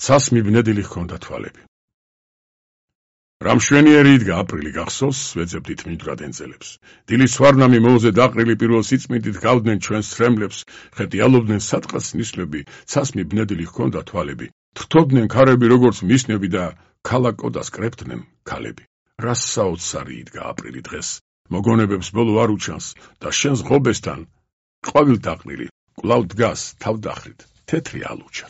ცას მიბნედილი ჰქონდა თვალები. რა მშვენიერი იდგა აპრილი გახსოვს, ვეძებდით მიდვრად ენძელებს. დილის სვარნამი მოუზე დაყრილი პირველ სიწმიდით გავდნენ ჩვენს თრემლებს, ხეტიალობდნენ სადღაც ნისლები, ცას მიბნედილი ჰქონდა თვალები. თრთობდნენ ქარები როგორც მისნები და ქალაკოდას კრებდნენ ქალები. რა საოცარი იდგა აპრილი დღეს, მოგონებებს ბოლო არ უჩანს და შენს ღობესთან ყვავილ დაყრილი კვლავ დგას თავდახრით თეთრი ალუჩა.